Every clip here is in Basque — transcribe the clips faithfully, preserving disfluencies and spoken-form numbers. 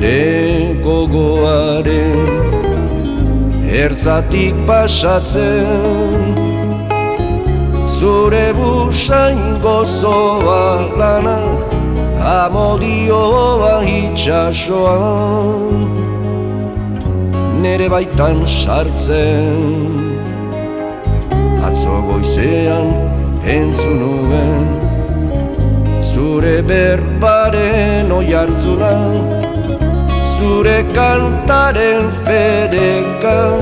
nere gogoaren ertzatik pasatzen, zure busain gozoa lana, amodioa itxasoan, nere baitan sartzen. Atzo goizean entzun nuen, zure berbaren oihartzuna, zure kantaren fedeka,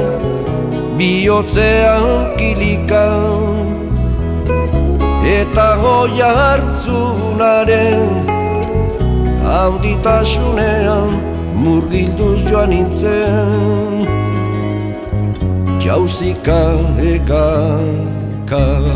bihotzean kilika, eta oihartzunaren handitasunean murgilduz joan nintzen, jauzika ekaka.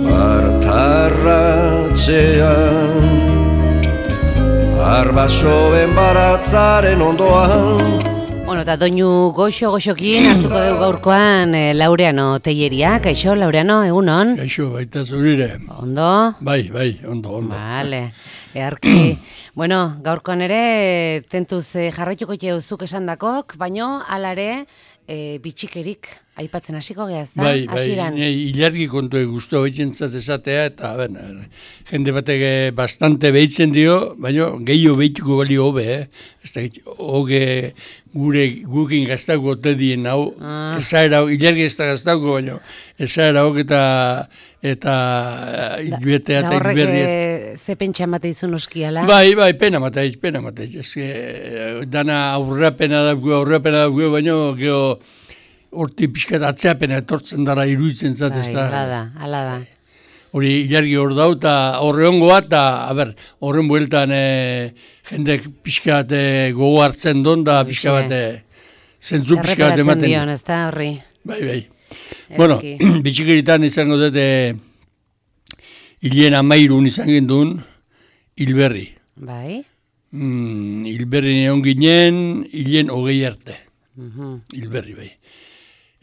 Bartarratxean, arbasoen baratzaren ondoan. Bueno, eta doinu goxo-goxokin hartuko dugu gaurkoan eh, Laureano Teilleria. Kaixo, Laureano, egunon? Kaixo, baita zurire. Ondo? Bai, bai, ondo, ondo. Vale, earki. Bueno, gaurkoan ere, tentuz eh, jarraituko zuk esan dakok, baino alare eh, bitxikerik aipatzen hasiko geaz, da? Bai, bai, ilargi kontu guztu behitzen esatea, eta ben, jende batek bastante behitzen dio, baina gehiago behituko bali hobe, eh? Ez da, hoge gure gukin gaztako ote dien hau, ah. esaera, ilargi ez da gaztako, baina esaera hok eta eta hilbetea eta hilberriet. Da horrek ze pentsa emate izun oskiala? Bai, bai, pena mateiz, pena mateiz. Ez que, dana aurrapena dago, aurrapena dago, baina geho horti pixkat atzeapena etortzen dara iruditzen zat, ez da. Hala da, hala da. Hori ilargi hor dau, eta horre hongo bat, eta, a ber, horren bueltan e, jendek pixkat e, gogo hartzen don, da pixka bat e, zentzu pixka bat ematen. Erreparatzen dion, ez da, horri. Bai, bai. Erki. Bueno, bitxikeritan izango dut, e, hilien amairun izan gendun, hilberri. Bai. Mm, hilberri neon ginen, hilien hogei arte. Uh-huh. Hilberri, bai.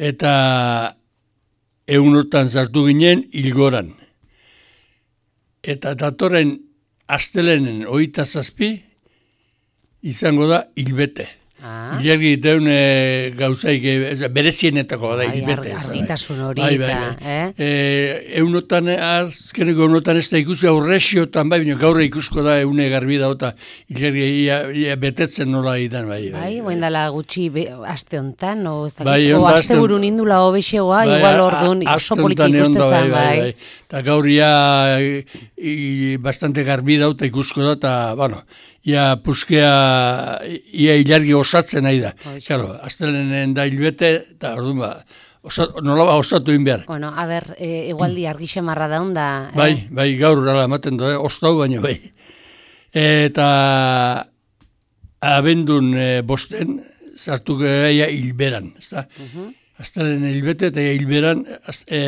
Eta egunotan zartu ginen hilgoran. Eta datorren astelenen hogeita zazpi izango da hilbete. Ah. Ilargi deun e, gauzaik e, berezienetako da hilbete. Argitasun hori bai, bai, eta, bai. eh? E, eunotan, azkeneko eunotan ez da ikusi aurresiotan, bai, bine, gaur ikusko da eune garbi da, eta ilargi ia, ia betetzen nola idan, bai. Bai, bai, bai. Dala gutxi be, aste hontan, o, ez da, bai, o aste burun indula obexegoa, bai, igual ordun, oso poliki ikustezan, bai. bai. Eta gaur ia i, bastante garbi da, eta ikusko da, eta, bueno, ia puskea, ia ilargi osatzen nahi da. Claro, astelenen da hilbete, eta orduan ba, osat, nola ba osatu inbehar. Bueno, a ber, e, igualdi argixe marra daun da. Eh? Bai, bai, gaur ala ematen da, eh? Ostau baino bai. Eta abendun e, bosten, zartu gaia hilberan, ez da? Uh-huh. Astelenen hilbete eta hilberan, e,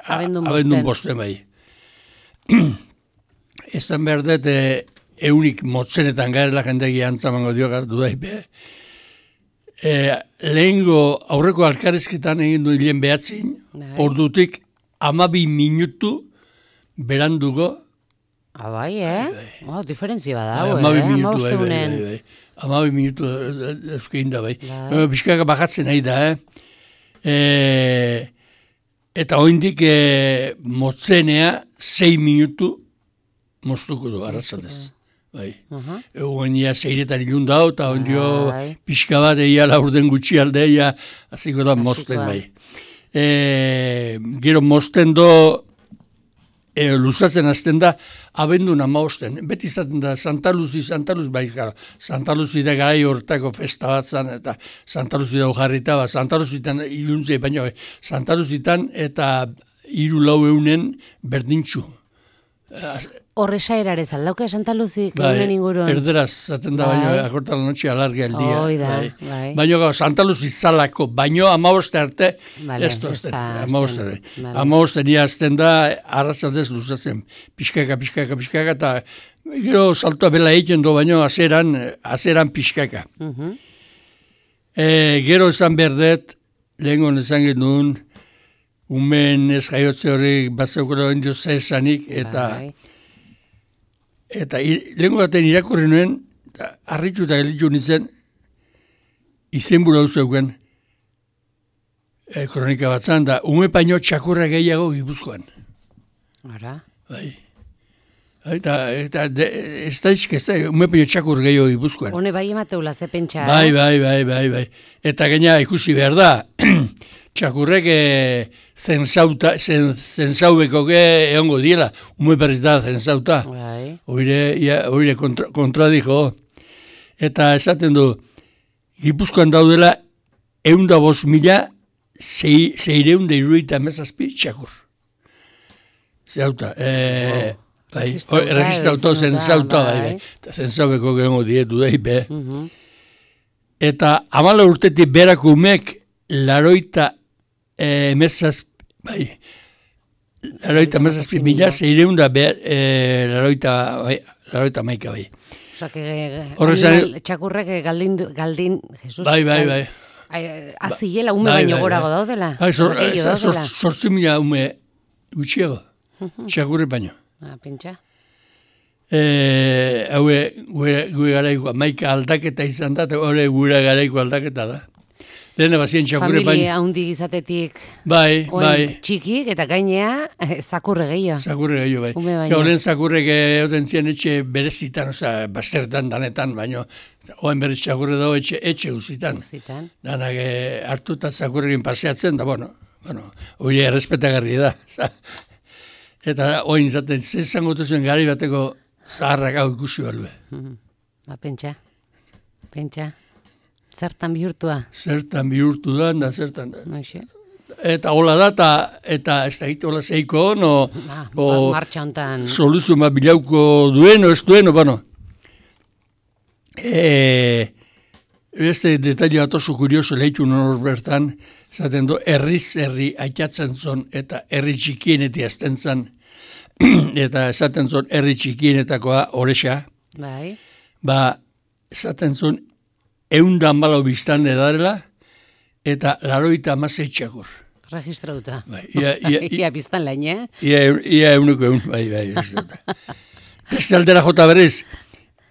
abendun bosten. Abendun bosten, bai. Ezan behar dut, e, eunik motzenetan garela jendegi antzamango dio dudaipe. E, lehengo aurreko alkarezketan egin du hilen behatzin, ordutik amabi minutu berandugo. Ah, bai, eh? Bai, bai. Oh, diferentzia bada, bai, eh? Amabi minutu, bai, bai, bai, bai. Amabi minutu euskein da, bai. bai. Biskaka bajatzen nahi da, eh? E, eta oindik e, motzenea sei minutu moztuko du, arrazatez. Bai. Uh-huh. Egoen ia zeiretan ilun dau, eta ondio bai. Pixka bat egia laurden gutxi alde, egia aziko da mozten, bai. E, gero mozten do, e, luzatzen azten da, abendun amaosten. Beti izaten da, Santa Luzi, Santa Luzi, bai, gara, Santa Luzi da gai hortako festa bat zan, eta Santa Luzi da ujarrita, ba, Santa Luzitan iluntzei, baina Santa Luzitan eta hiru lau eunen berdintxu. Horresa erarez aldauka Santa Luzik egunen inguruan. Erderaz, zaten da, bai. Baino, akortan notxe alargia el dia. Oida, bai. bai. Baino, Santa Luzi zalako, baino amaboste arte, vale, ez tozten, amaboste arte. Vale. Amaboste nia azten da, arrazatez luzatzen, pixkaka, pixkaka, pixkaka, eta gero saltua bela egiten do, baino, azeran, azeran pixkaka. Uh-huh. E, gero esan berdet, lehen hon esan genuen, umen ez jaiotze horiek bazeukela indio zezanik, eta Bai. eta lehen baten irakurri nuen, harritu eta gelitu nintzen, izen bura zeuken, e, kronika batzan, da ume paino txakurra gehiago Gipuzkoan. Ara. Bai. Eta, eta de, ez da izk, ez da, ume paino txakur gehiago Gipuzkoan. Hone bai emateula, ze pentsa. Bai, eh? bai, bai, bai, bai. Eta gaina ikusi behar da, txakurrek e, zenzauta, zen, zenzaubeko egongo diela, ume berriz da zenzauta. Bai. Oire, ia, oire kontra, kontradiko. Eta esaten du, Gipuzkoan daudela eunda bost mila zeireun da iruita emezazpi txakur. Zauta, e, bai, registrauta, zenzauta, bai, bai. Eta zenzaubeko gehiago dietu dahi, be. Mhm. Eta amala urtetik berako umek laroita emezazpi, bai, laroita emezazpi mila zeireun da e, laroita, bai, laroita maika, bai. Osa, que Horrezan- txakurrek galdin, galdin, Jesus. Bai, bai, bai. Azilela, ume Bai, baino bai, gorago bai. daudela. Bai, zor- Osa, gehiago zor- daudela. sortzi mila ume gutxiago, txakurre baino. Ah, pentsa. E, haue, gure, gure garaiko, maika aldaketa izan da, eta gure gure garaiko aldaketa da. Lehena bazien txakurre baino. Familia haundi izatetik Bai, oen bai, txikik, eta gainea, eh, zakurre gehiago. zakurre gehiago, bai. Ume baino. Horren zakurrek egoten zian etxe berezitan, oza, basertan danetan, baino, oen berez txakurre dago etxe, etxe guzitan. Zitan. Danak e, hartuta zakurrekin paseatzen, da, bueno, bueno, hori errespetagarri da. Eta oin zaten, zezango zuen gari bateko zaharrak hau ikusi balue. Mhm. Ba, pentsa. Pentsa. Zertan bihurtua. Zertan bihurtu da, da zertan da. Noixe. Eta hola da, eta, eta ez da egite hola zeiko, no, Ah, o martxa hontan. soluzio bat bilauko duen, o ez duen, o, bueno. E, Beste detaile bat oso kurioso lehitu nor bertan, zaten du, herriz herri aitatzen zon, eta herri txikienetik azten zan, eta esaten zon herri txikienetakoa horrexa, Bai. ba, esaten zon, eunda malau biztan edarela, eta laroita amazei txakur. Registrauta. Bai, ia, ia, ia, Ia biztan lain, eh? ia, ia euneko eun, bai, bai, ez dut. Beste aldera jota berez,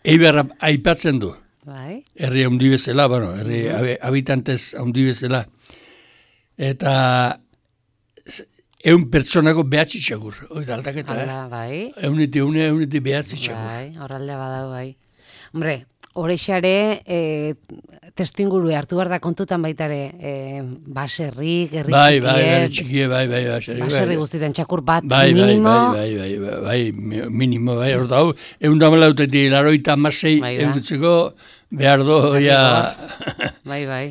eibarra aipatzen du. Bai. Herri handi bezala, bueno, herri mm-hmm. habitantez handi bezala. Eta eun pertsonako behatzi txakur. Oita aldaketa, Hala, eh? bai. Euniti eune, euniti behatzi txakur. Bai, horraldea badau, bai. Hombre, horrexare, e, testu inguru hartu behar da kontutan baitare, e, baserrik, herri Bai, txikie, bai, herri txikie, bai, bai, baserrik. baserri guztietan txakur bat Bai, bai, minimo. bai, bai, bai, bai, bai, minimo, bai, hor da, egun damalautetik laroita amasei Bai da. eukitzeko behar do, ja, Bai, bai.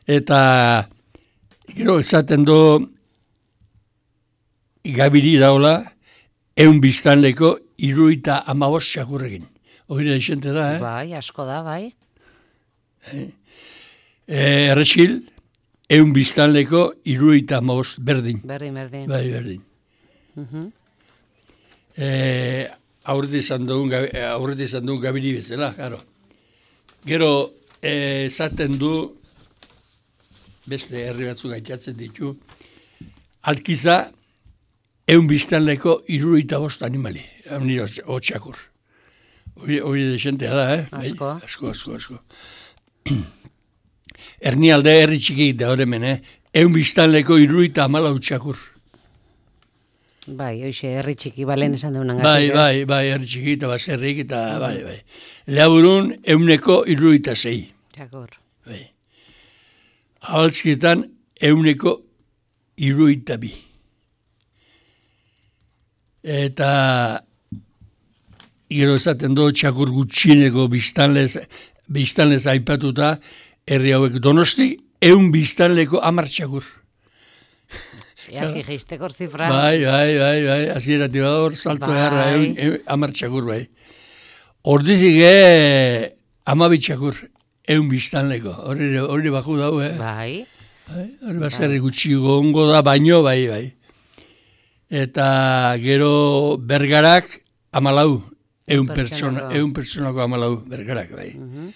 eta gero esaten do gabiri daula eun biztanleko iruita amabos txakurrekin. Hori da isente da, eh? Bai, asko da, bai. E, Erresil, eun biztanleko iruita amabos berdin. Berdin, berdin. Bai, berdin. Mhm. E, aurreti izan dugun, gabi- aurreti izan dugun gabiri bezala, claro. Gero, eh, esaten du, beste herri batzuk aitatzen ditu, alkiza, eun biztanleko irurogeita bost animali, nire hotxakur. Hori, hori desentea da, eh? Bai, Asko. asko, asko, asko. Ernialde herri txikik da horremen, eh? Eun biztanleko irurogeita hamalau txakur. Bai, hoxe, herri txiki balen esan deunan Bai, bai, bai, herri txiki eta baserrik eta, bai, bai. Laburun, euneko irurogeita sei. Txakur. Bai. Abaltzkietan, euneko irurogeita bi. Eta gero esaten do txakur gutxieneko biztanlez, biztanlez aipatuta, herri hauek Donosti, eun biztanleko hamar txakur. Earki geistekor zifra. Bai, bai, bai, bai, azierati bador, salto Bai. egarra, eun, eun, hamar txakur, bai. Ordizik, eh, amabi txakur, eun biztanleko, hori, hori baku dau, eh? Bai. Bai, hori baserri gutxi gongo da, baino, bai, bai. Eta gero bergarak amalau, eun pertsona, Pertsonako. eun pertsonako amalau bergarak, bai. Mhm.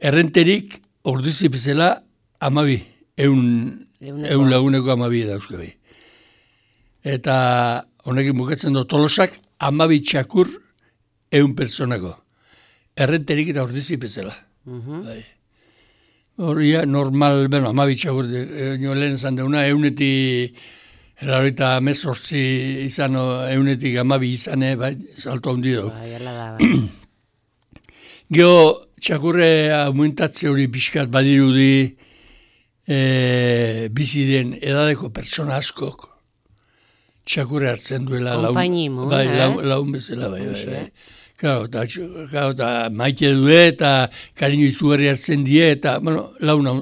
Errenterik ordizi bezala amabi, eun, eun laguneko amabi dauzke bai. Eta honekin bukatzen du Tolosak amabi txakur eun pertsonako. Errenterik eta ordizi bezala. Mhm. Bai. Horria normal, bueno, amabi txakur, e, lehen esan deuna, euneti, eraroita mezortzi izan, eunetik amabi izan, bai, salto handi dugu. Bai, ala da, bai. Geo, txakurre aumentatze hori pixkat badirudi e, bizi den edadeko pertsona askok txakurre hartzen duela Konpainimu, bai, ez? laun, laun bezala, bai, bai, bai. Claro, eta, claro, eta maite du eta kariño izugarri hartzen die, eta, bueno, launa,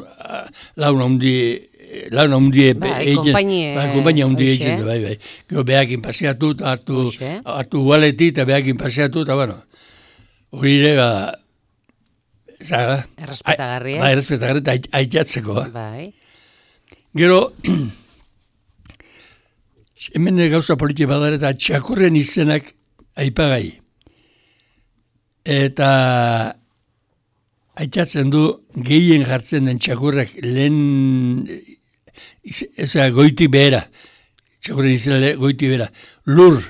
launa hundi, launa hundi bai, kompainie, bai, kompainia hundi oixe. egiten du, bai, bai. Gero behakin paseatu, eta hartu, Oixe. hartu gualeti, eta behakin paseatu, eta, bueno, hori ere, ba, zaga, Errespetagarri, eh? Bai, errespetagarri, eta ait- aitatzeko, ba. Bai. Gero, hemen gauza politia badara eta txakurren izenak aipagai. Eta aitatzen du gehien jartzen den txakurrak lehen, eza goiti behera, txakurren izena le- goiti behera, lur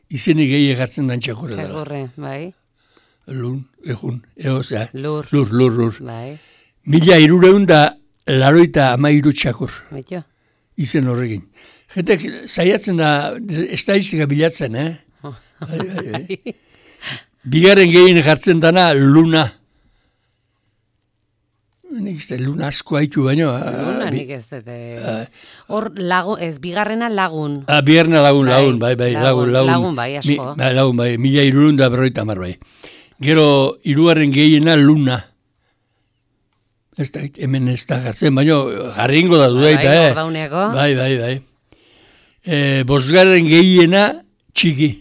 izenik gehien jartzen den txakurra dela. Txakurre, bai. Lun, egun, eo, zera, Lur. lur, lur, lur. Bai. Mila irureun da laroita amairu txakur. Betxo? Izen horrekin. Jentek saiatzen da estadistika bilatzen, eh? Bai, bai, bai. Bigarren gehien jartzen dana luna. Nik ez da luna asko haitu baino. Luna nik ez dut. eh, Hor lagun, ez, bigarrena lagun. Ah, bigarrena lagun, Bai, lagun, bai, bai, lagun, lagun, lagun. lagun bai, asko. Mi, bai, lagun, bai, mila irurun da berroita hamar, bai. Gero, hirugarren gehiena luna. Ez da, hemen ez da jartzen, baino jarringo da dudaita, Bai, eh? gordauneako. Bai, bai, bai. E, bosgarren gehiena txiki.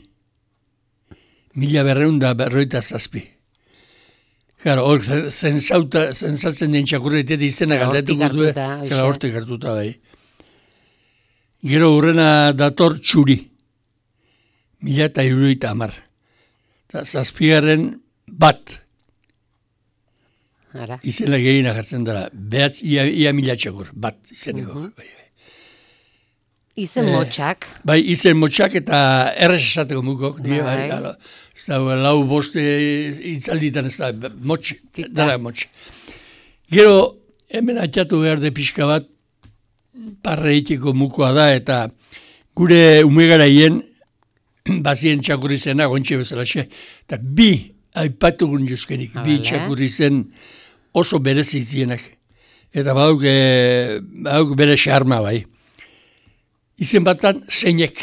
Mila berreun da berroita zazpi. Claro, hor zensauta, zensatzen den txakurretet izena Hortik galdetuko du. hartuta, hoxe. Claro, hortik hartuta, bai. Gero hurrena dator txuri. Mila eta iruroita hamar. Eta zazpigarren bat. Ara. Izena gehiena jartzen dara. Behatz, ia, ia mila txakur. Bat izeneko. Mhm. bai, bai. Izen motxak. Bai, izen motxak eta errez esateko mukok. Die, bai, Bai. claro. Ez da, lau boste itzalditan ez da, motx, Tita. dara motx. Gero, hemen atxatu behar de pixka bat, parreiteko mukoa da, eta gure umegaraien, bazien txakurri zena, gontxe bezalaxe, eta bi aipatugun joskerik, bi Abale. txakurri zen oso berezi zienak. Eta badauk, e, badauk bere xarma bai. Izen batan zeinek,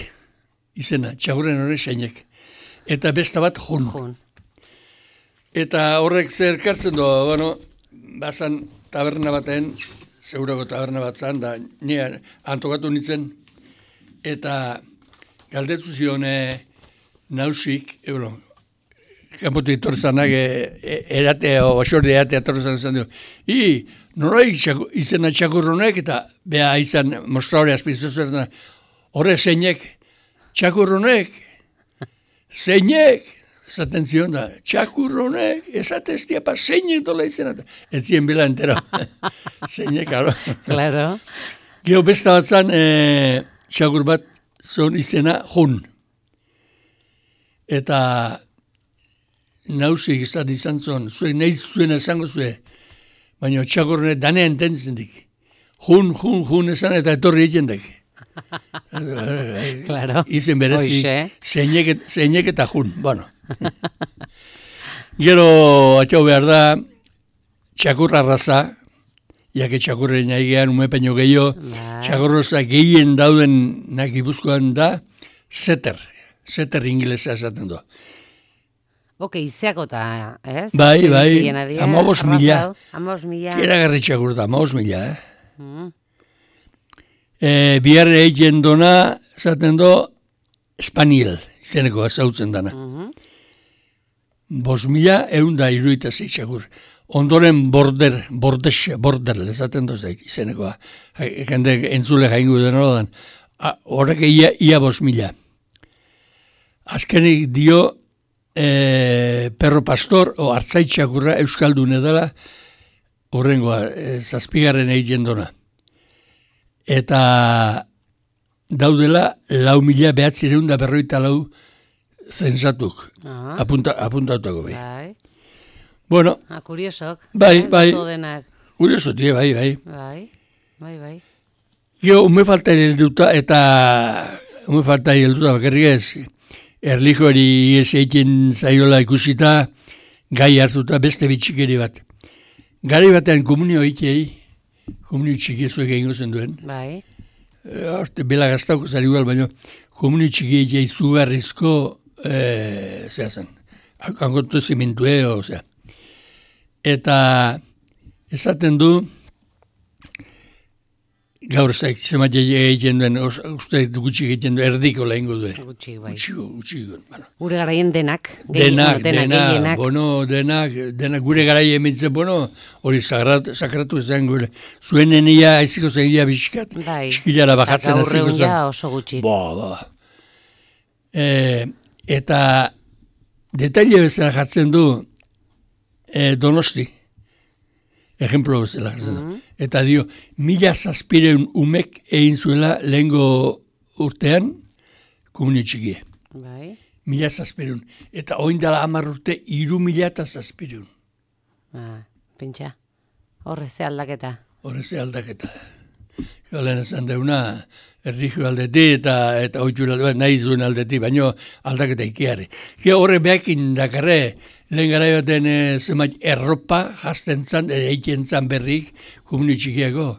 izena, txakurren hori zeinek. Eta beste bat jun. Jun. Eta horrek zer kartzen du, bueno, bazan taberna baten, zeurako taberna bat zan, da nire antokatu nintzen, eta galdetu zion e, nausik, e, bueno, kanpotik etorzanak e, e, erate, o basorde erate etortzan zan du. I, noraik txaku, izena txakurronek, eta beha izan mostraure azpizuzer, horre zeinek, txakurronek, zeinek, esaten zion da, txakurronek, esateztia pa, zeinek dola izena, ez zien bila entero. Zeinek, claro. Claro. Gero besta bat zan, e, txakur bat zon izena jun. Eta nausik izan izan zon, zuek nahi zuen esango zue, baina txakurronek danea ententzen dik. Jun, jun, jun esan eta etorri egiten dik. Claro. Izen berezi, Hoxe. zeinek, zeinek eta jun, bueno. Gero, atxau behar da, txakurra raza, jake txakurren aigean umepeño gehiago, Bai. txakurroza gehien dauden nak Gipuzkoan da, setter, setter inglesa esaten du. Ok, izeako eta, ez? Bai, bai, Itzigena dira, hamabos arraza mila. hau, hamabos mila. Eragarri txakur da, maoz mila, eh? Mm. E, biharre egin dona, esaten do, Spaniel, izeneko ezautzen dana. Mhm. Bos mila, egun da iruita zeitxakur. Ondoren border, bordes, border, esaten doz daik, izenekoa. Ja- Jende entzule jaingu den hori horrek ia, ia bos mila. Azkenik dio, e, perro pastor, o hartzaitxakurra euskaldune dela, horrengoa, e, zazpigarren egiten dona. Eta daudela lau mila behatzireun da berroita lau zensatuk. Ah. Apunta, apuntatuko bai. Bai. Bueno. Ah, kuriosok. Bai, eh? bai. Denak. Kurioso, tie, bai, bai. Bai, bai, bai. Gio, ume falta helduta eta ume falta helduta bakarrik ez. Erlijori ez egiten zaiola ikusita gai hartuta beste bitxikeri bat. Gari batean komunio egitei, komunio txiki ezuek egingo zen duen. Bai. Horte, bela gaztauko zari igual, baina komunio txiki egitei zugarrizko, e, zera zen, kangotu zimentue, ozera. Eta esaten du, gaur zaik, zemat egiten duen, uste gutxi egiten duen, erdiko lehenko duen. Gutxi, bai. Gutxi, gutxi. Bueno. Gure garaien denak. Denak, denak, denak, bueno, denak, denak, gure garaien emintzen, bueno, hori sagratu, sakratu zen gure. Zuen enia, aiziko zen ia biskat, bai. Eskilara bajatzen aziko aziko zen. zen. Ja oso gutxi. Bo, bo. E, eta detaile bezala jartzen du e, Donosti. Ejemplo bezala jartzen du. Mm-hmm. Eta dio, mila zazpireun umek egin zuela lehengo urtean komunio txikie. Bai. Mila zazpireun. Eta oindala hamar urte, iru mila eta zazpireun. Ah, pentsa. Horre, ze aldaketa. Horre ze aldaketa. Galen esan deuna, erlijio aldeti eta, eta oitxur aldeti, nahi zuen aldeti, baino aldaketa ikiarri. Ge horre behakin dakarre, lehen gara baten e, zenbait erropa jazten zan, eiken zan berrik, komunio txikiako,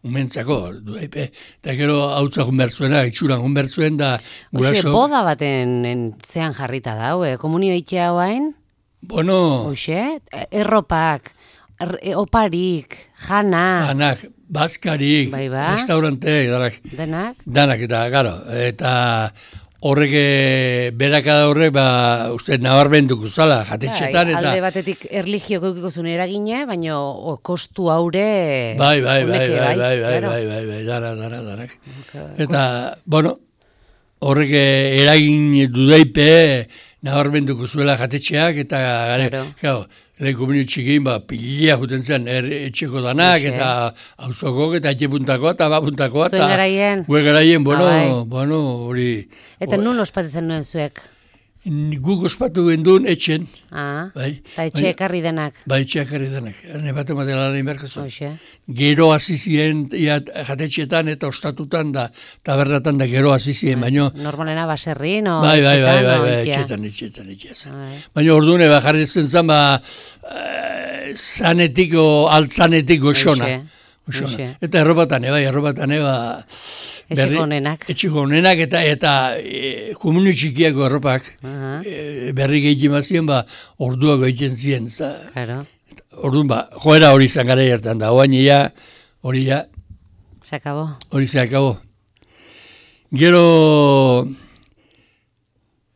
umentzako, duaipe. Eta gero hautza junbertzuena, itxuran junbertzuen da Oxe, guraso. boda baten en, zean jarrita da, eh? Komunio itea hoain? Bueno, Oxe, erropak, er, e, oparik, jana, anak, bazkarik, Bai, ba. restauranteek, danak, denak. danak eta, garo, eta horrek eh, berakada horrek, ba, uste nabarmenduko zala, jatetxetan, Bai, eta... alde batetik erlijio keukiko zuen eragine, baina o, kostu haure... Bai, bai, bai, honeke, bai, bai, bai, claro. bai, bai, bai, dara, dara, darak. Okay, Eta, bueno, horrek eh, eragin dudaipe nabarmenduko zuela jatetxeak, eta gare, Claro. claro, lehen komunio txikin, ba, pilia juten zen er, etxeko danak, Hoxe. eta auzokok, eta etxepuntakoa, eta bapuntakoa, Zuen garaien? Gure garaien, bueno, Ah, bai. bueno, hori... Eta nun ospatzen nuen zuek? Guk ospatu genduen etxen, Ah, bai. eta etxe Baina- ekarri denak. Bai, etxeak ere denak. Ne bat ematen lan egin beharko zuen. Hoxe. Gero hasi ziren ia, jatetxetan eta ostatutan da tabernatan da gero hasi ziren, baino Normalena baserrin, o bai, bai, bai, etxetan, bai, o bai, ikia. etxetan, etxetan, etxetan. Bai. Baina ordune ba jarri zen zan ba eh, zanetik o altzanetik goxona. Hoxe, Goxona. hoxe. Eta erropatan, bai, erropatan, ba Etxeko honenak. Etxeko honenak eta eta e, komunio txikiako erropak Aha, e, berri gehiago mazien, ba, orduak egiten ziren. Za, claro. orduan, ba, joera hori izan gara hartan da. Oain ia, hori ja, Se acabó. hori ze akabo. Gero,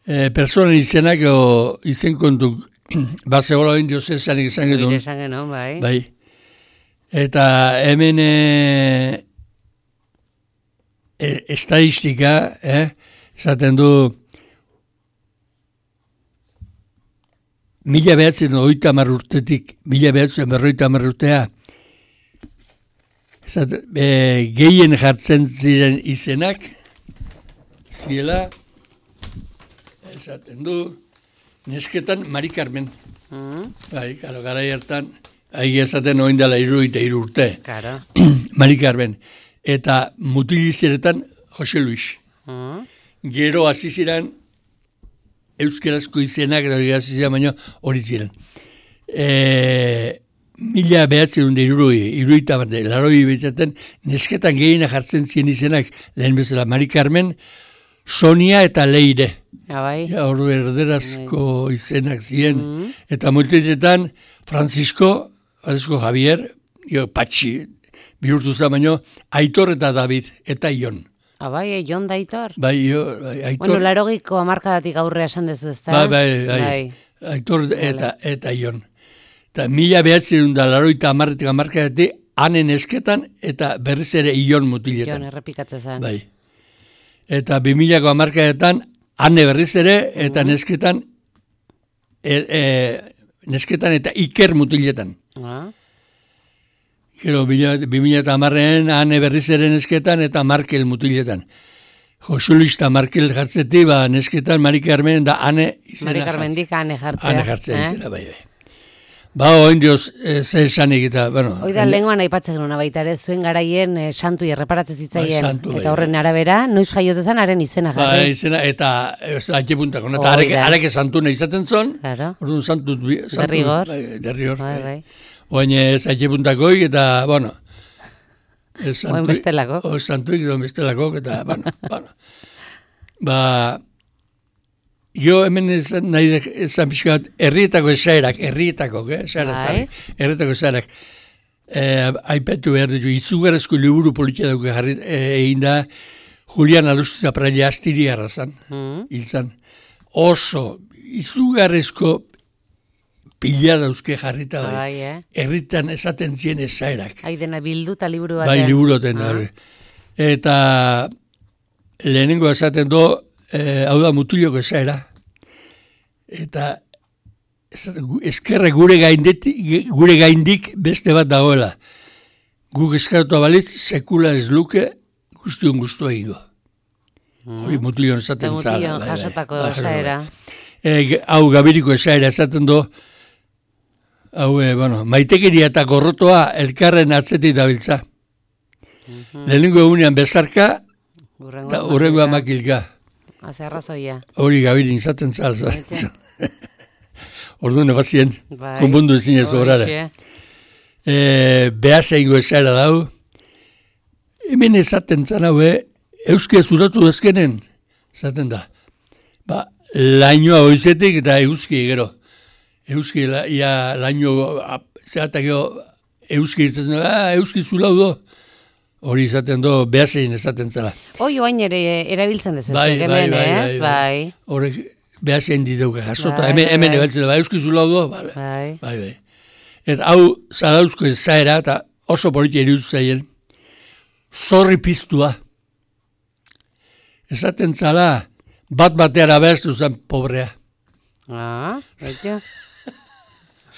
e, personen izenak, o, izen kontu, Barcegola indio zezanik izan Oire gedun. esan genuen, bai. Bai. Eta hemen e, e, estadistika, eh, esaten du, mila behatzen oita hamar urtetik, mila behatzen berroita hamar urtea, esaten, e, gehien jartzen ziren izenak, ziela, esaten du, nesketan Mari Carmen. Mm, Bai, karo, gara hartan, ahi esaten oin dela iruita iru urte. claro. Mari Carmen. Eta mutilizeretan Jose Luis. Mm, Gero hasi ziren euskerazko izenak, eta hori hasi ziren, baina hori ziren. E, mila behatzen hunde iruroi, iruita bat, laroi betzaten, nesketan gehiena jartzen ziren izenak, lehen bezala Mari Carmen, Sonia eta Leire. ah, bai. Ja, ordu erderazko izenak ziren. Mm. Eta multitetan Francisco, Francisco Javier, jo, Patxi, bihurtu zen baino, Aitor eta David, eta Ion. Ah, bai, eh, Jon Daitor. Bai, jo, bai, Aitor, Bueno, larogiko amarkadatik aurrea esan dezu, ezta? bai, bai, bai, Aitor eta, eta Ion. Eta mila behatzen da laroita amarretik amarkadatik, hanen esketan, eta berriz ere Ion mutiletan. Jon errepikatzen zen. Bai. Eta bi milako amarkadetan, hane berriz ere, eta nesketan, e, e, nesketan eta Iker mutiletan. Ah, Gero, bi mila eta hamarrean, Ane Berrizeren nesketan eta Markel mutiletan. Josulista Markel jartzeti, ba, nesketan Mari Carmen da Ane izena Mari Carmendik Ane jartzea. Ane jartzea eh? izena, bai, bai. Ba, oin dioz, e, ze esanik eta, bueno... Oida, lenguan aipatzen genuna baita ere, zuen garaien e, santu erreparatzen zitzaien. Ba, santu, eta horren arabera, noiz jaioz dezan, haren izena jarri. Ba, izena, eta haitxe puntako. Eta areke, areke santu nahi izaten zon, claro. Orduan santu... santu Derrigor. Bai, derrigor. Bai, bai. Oin ez haitxe puntakoik, eta, bueno... Oin bestelako. O santuik, oin bestelako, eta, bueno, bueno. Ba... Jo hemen esan, nahi esan pixkat, herrietako esaerak, herrietako, eh? Esaerak, herrietako esaerak. Eh, Aipatu behar ditu, izugarrezko liburu politia duke jarri egin da, Julian Alustiza Praila astiri arrazan, mm. hilzan. Oso, izugarrezko pila dauzke jarrita da. Bai, eh? Herritan esaten zien esaerak. Haidena bildu eta liburu batean. Bai, liburoten da. Eta lehenengo esaten do, Eh, hau da mutiloko esaera, eta eskerre gure gaindetik, gure gaindik beste bat dagoela. Guk eskaratu abaliz, sekula ez luke guztion guztua egingo. Mm. Hori mutilion esaten zara. Mutilion jasotako esaera. E, hau gabiriko esaera esaten do, hau, e, bueno, maitekeria eta gorrotoa elkarren atzetik dabiltza. Mm-hmm. Lehenengo egunean bezarka, eta urrengoa makilka. Haze arrazoia. Hori gabirin izaten zal. Orduan ebazien, bai, konbundu ezin ez horara. E, Behaz egingo esaera dau. Hemen esaten zan hau, euskia zuratu ezkenen, esaten da. Ba, lainoa hoizetik eta euski gero. Euski, la, ia, laino, zehatak euski irtzen, ah, euski zulau do. Hori izaten do, behazein esaten zela. Hoi, oain ere erabiltzen dezu, bai, hemen, bai, bai, ez? Bai. Horrek behazein diteuke jasota, hemen, hemen ebaltzen da, euskizu lau do, bai, bai. Bai, bai. Eta hau, zarauzko ezaera, eta oso politia iruditu zaien, zorri piztua. Esaten zala, bat bateara behaztu zen pobrea. Ah, baita.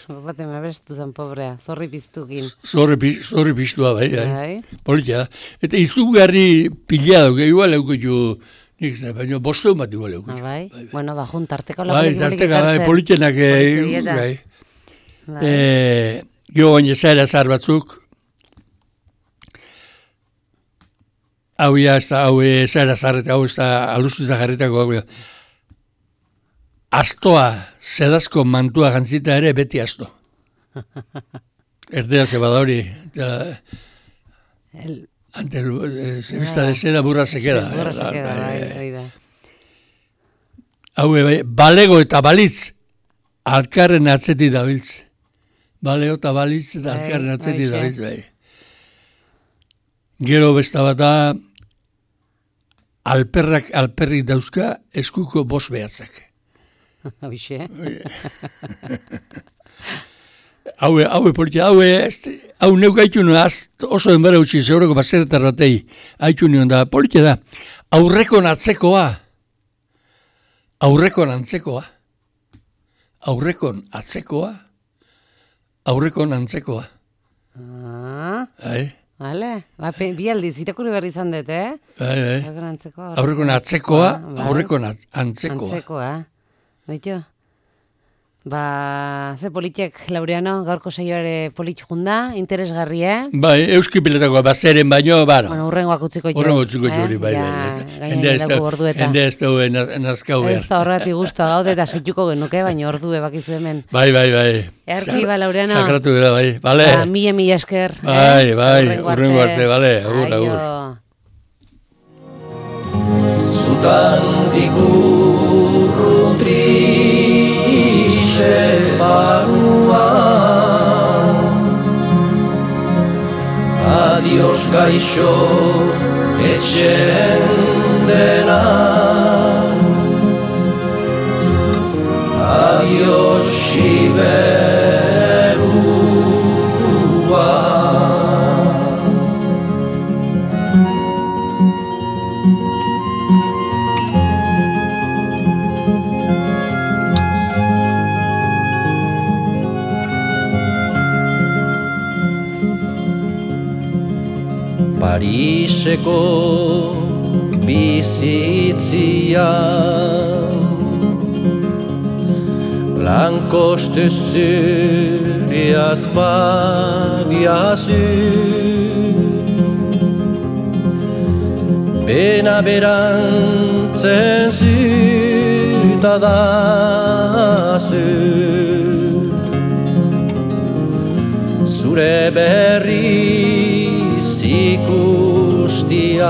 Baten abestu zen pobrea, zorri piztukin. Zorri, zorri piztua, bai, bai. Bai. Politia da. Eta izugarri pila dugu, igual eukutxu, nik zai, baina bosteun bat igual eukutxu. Ah, bai. Bai, bai. Bueno, bajun tarteko bai, lagunik morik tarteka, ekartzen. Bai, politienak, bai. Bai. E, Gio baina zaira zar batzuk, hau ya, ez da, hau zaira zarreta, hau ez da, alustuza jarritako, hau astoa, zedazko mantua gantzita ere, beti asto. Erdera zebada hori, El... ante el, eh, se vista de seda, burra se queda. Burra se queda, bai, da. Hau, bai, balego eta balitz, alkarren atzeti dabiltz. Balego eta balitz, eta alkarren atzeti dabiltz, bai. Gero besta bat da, alperrak, alperrik dauzka, eskuko bos behatzak. Hoxe. Haue, haue politia, haue, hau neuk haitu nuen, oso denbara utzi, zeuroko bazeretar batei, haitu nuen da, politia da, aurrekon atzekoa, aurrekon antzekoa, aurrekon atzekoa, aurrekon antzekoa. Ah, Hai. Vale, ba, bi aldiz, irakurri berri izan dut, eh? Bai, bai. Aurrekon antzekoa. Aurrekon atzekoa, aurrekon antzekoa. Antzekoa, baitu. Ba, ze politiek, Laureano, gaurko saioare polit junda, interesgarri, eh? Bai, euski piletakoa, bazeren baino, baro. Bueno, urrengoak utziko jo. Urrengo utziko jo hori, bai, ja, bai. Gainen gelako ordu eta. Hende ez daue nazkau behar. Ez da horreti guztua gaude eta seituko genuke, baina ordu ebakizu hemen. Bai, bai, bai. Erki, ba, Laureano. Sakratu dira, bai, bale. Ba, mila, mila esker. Bai, eh? bai, urrengo arte, bale, agur, agur. Zutan dikurrun triste barua, adios gaixo etxen dena, adios siberua. Pariseko bizitzia Lankostu zuriaz pagiazu Bena berantzen zutadazu Zure berriz ikustian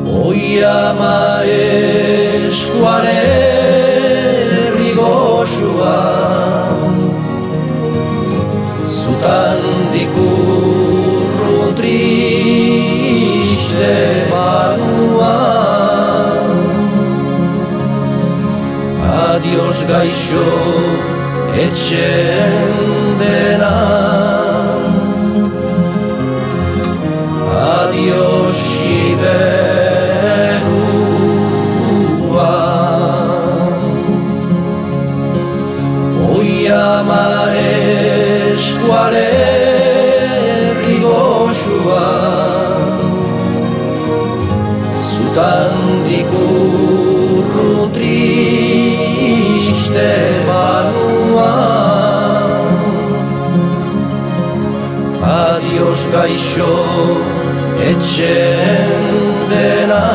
Oi ama eskuare rigosua Zutan dikurrun triste banua Adios gaixo etxen dena Adios Siberua Oi ama eskuare rigosua Zutan dikurrun triste banua Adios gaixo etxen dena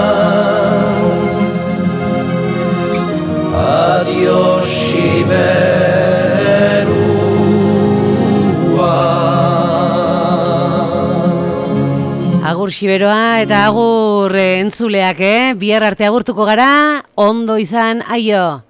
Adios Siberua Agur Siberoa eta agur entzuleak, eh? Bihar arte agurtuko gara, ondo izan, aio!